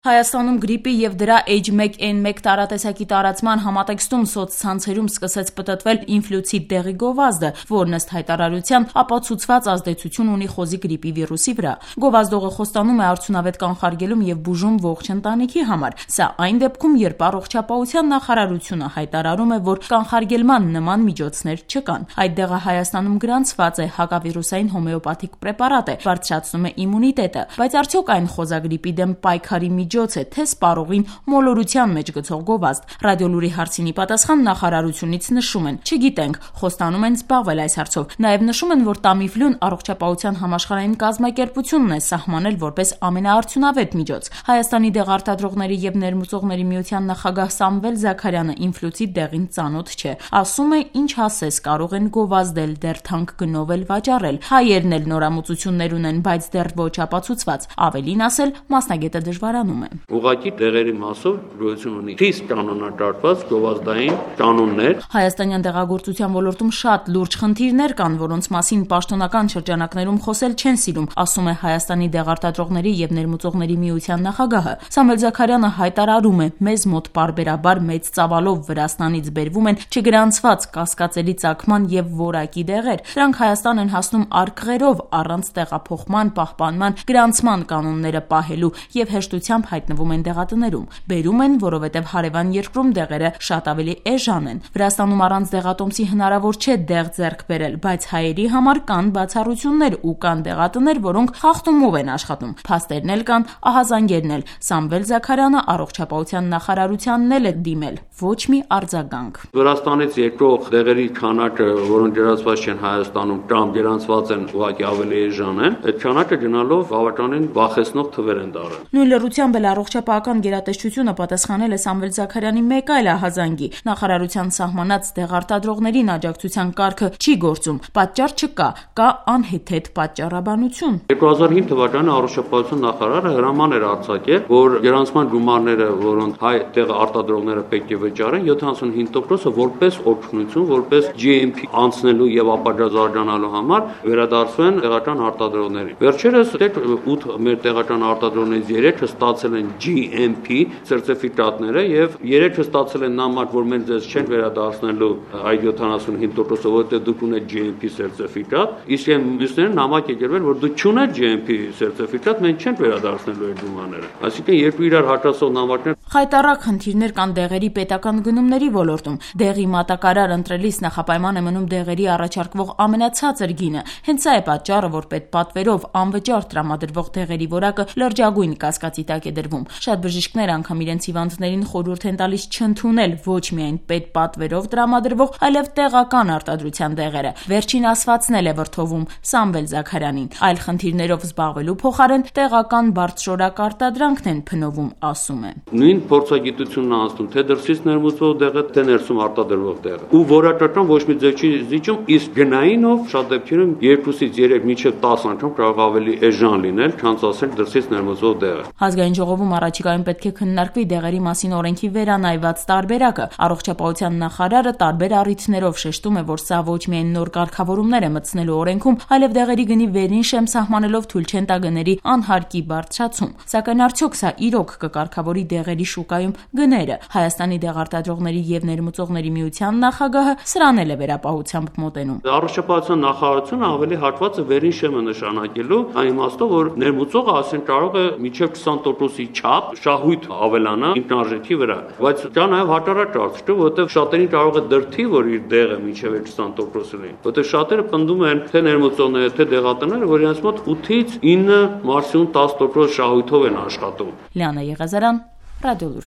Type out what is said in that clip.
Հայաստանում գրիպի և դրա H1N1 տարատեսակի տարածման համատեքստում սոցցանցերում սկսեց պտտվել ինֆլուցիտ դեղի գովազդը, որն ըստ հայտարարության ապացուցված ազդեցություն ունի խոզի գրիպի վիրուսի վրա։ Գովազդողը խոստանում է արդյունավետ կանխարգելում և բուժում ողջ ընտանիքի համար։ Սա այն դեպքում, երբ Առողջապահության նախարարությունը հայտարարում է, որ կանխարգելման նման միջոցներ չկան։ Այդ դեղը Հայաստանում գրանցված է, հակավիրուսային հոմեոպաթիկ պրեպարատ է, բարձրացնում է իմունիտետը, բայց արդյոք այն խոզագրիպի դեմ պայքարի միջոց է, թե սպառողին մոլորության մեջ գցող գովազդ։ Ռադիոլուրի հարցինի պատասխան նախարարությունից նշում են՝ չգիտենք, խոստանում են զբաղվել այս հարցով։ Նաև նշում են, որ Տամիֆլուն Առողջապահության համաշխարհային կազմակերպությունն է սահմանել որպես ամենաարդյունավետ միջոց։ Հայաստանի դեղարտադրողների և ներմուծողների միության նախագահ Սամվել Զաքարյանը ինֆլուցիտ դեղին ծանոթ չէ։ Ասում է՝ ինչ ասես կարող են գովազդել, դեռ թանկ գնով էլ վաճառել։ Հայերն էլ նորամուծություններ ունեն, բայց դեռ ոչ ապացուցված։ Ավելին ասել, մասնագետը դժվարանում է։ Ուղղակի դեղերի մասով գոյություն ունի խիստ կանոնադրված գովազդային կանոններ։ Հայաստանյան դեղագործության ոլորտում շատ լուրջ խնդիրներ կան, որոնց մասին պաշտոնական շրջանակներում խոսել չեն սիրում, ասում է Հայաստանի դեղարտադրողների և ներմուծողների միության նախագահը։ Սամվել Զաքարյանը հայտարարում է՝ մեզ մոտ պարբերաբար մեծ ծավալով Վրաստանից բերվում են չգրանցված կասկածելի ծագման և որակի դեղեր։ Դրանք Հայաստան են հասնում արկղերով, առանց տեղափոխման, պահպանման, գրանցման կանոնները պահելու և հեշտությամբ հայտնվում են դեղատներում։ Բերում են, որովհետև հարևան երկրում դեղերը շատ ավելի էժան են։ Վրաստանում առանց դեղատոմսի հնարավոր չէ դեղ ձեռք բերել, բայց հայերի համար կան բացառություններ ու կան դեղատներ, որոնք խախտումով են աշխատում։ Փաստերն էլ կան, ահազանգերն էլ։ Սամվել Զաքարյանը Առողջապահության նախարարությանն էլ է դիմել, ոչ մի արձագանք։ Վրաստանից եկող դեղերի քանակը, որոնք գրանցված չեն Հայաստանում կամ գրանցված են ուղղակի ավելի էժան են, այդ քանակը գնալով բավականին վախեցնող թվեր են դառել։ Նույն լրությամբ էլ Առողջապահական գերատեսչությունը պատասխանել է Սամվել Զաքարյանի մեկ այլ ահազանգի։ Նախարարության սահմանած դեղարտադրողներին աջակցության կարգը չի գործում, պատճառ չկա, կա անհեթեթ պատճառաբանություն։ 2005 թվականին Առողջապահության նախարարը հրաման էր արձակել, որ գրանցման գումարները, որոնք հայ դեղարտադրողները պետք է վճարեն, 75%-ը որպես օգնություն, որպես GMP անցնելու եւ ապագա զարգանալու համար վերադարձվեն տեղական արտադրողներին։ Վերջերս 8 մեր տեղական արտադրողներից 3-ը ստացել են GMP սերտիֆիկատները եւ 3-ը ստացել են նամակ, որ մենք ձեզ չենք վերադարձնելու այդ 75%-ը, որտեղ դուք ունեք GMP սերտիֆիկատ, իսկ մյուսները նամակ եկել, որ դուք չունեք GMP սերտիֆիկատ, մենք չենք վերադարձնելու այդ գումարները։ Այսինքն երկու իրար հակասող նամակներ։ Խայտառակ խնդիրներ կան դեղերի պետական գնումների ոլորտում։ Դեղի մատակարար ընտրելիս նախապայման է մնում դեղերի առաջարկվող ամենացածր գինը։ Հենց սա է պատճառը, որ պետպատվերով անվճար տրամադրվող դեղերի որակը լրջագույն կասկածի տակ է դրվում։ Շատ բժիշկներ անգամ իրենց հիվանդներին խորհուրդ են տալիս չընդունել ոչ միայն պետպատվերով տրամադրվող, այլև տեղական արտադրության դեղերը։ Վերջին ասվածն էլ է վրդովում Սամվել Զաքարյանին։ Այլ խնդիրներով զբաղվելու փոխարեն տեղական բարձրորակ արտադրանքն են փնովում, ասում է։ Նույն փորձագիտությունն անցնում, թե դրսից ներմուծվող դեղը, թե ներսում արտադրվող դեղը։ Ու որակական ոչ մի ձև չի զիջում, իսկ գնայինով շատ դեպքերում 2-ից 3 մինչև 10 անգամ կարող ավելի էժան լինել, քան ասել դրսից ներմուծվող դեղը։ Ազգային ժողովում առաջիկայում պետք է քննարկվի դեղերի մասին օրենքի վերանայված տարբերակը։ Առողջապահության նախարարը տարբեր առիթներով շեշտում է, որ սա ոչ միայն նոր կարգավորումներ է մտցնելու օրենքում, այլև դեղերի գնի վերին շեմ սահմանելով թույլ չեն տա գների անհարկի բարձրացում։ Սակայն արդյոք սա իրոք կկարգավորի դեղերի շուկայում գները։ Հայաստանի դեղարտադրողների և ներմուծողների միության նախագահը սրան էլ է վերապահությամբ մոտենում։ Առողջապահության նախարարությունը ավելի հատված է վերին շեմը նշանակելու, այն իմաստով, որ ներմուծողը ասեն կարող է մինչև 20%-ի չափ շահույթ ավելանա ինքնարժեքի վրա, բայց դա նաև հակառակ կարծիք է, որովհետև շատերին կարող է դրդի, որ իր դեղը մինչև 20% լինի, որովհետև շատերը պնդում են թե ներմուծողները, թե դեղատները, որ իրենց մոտ 8-ից 9, մաքսիմում 10% շահույթով են աշխատում։ Լիանա Եղազարյան, Ռադիոլուր։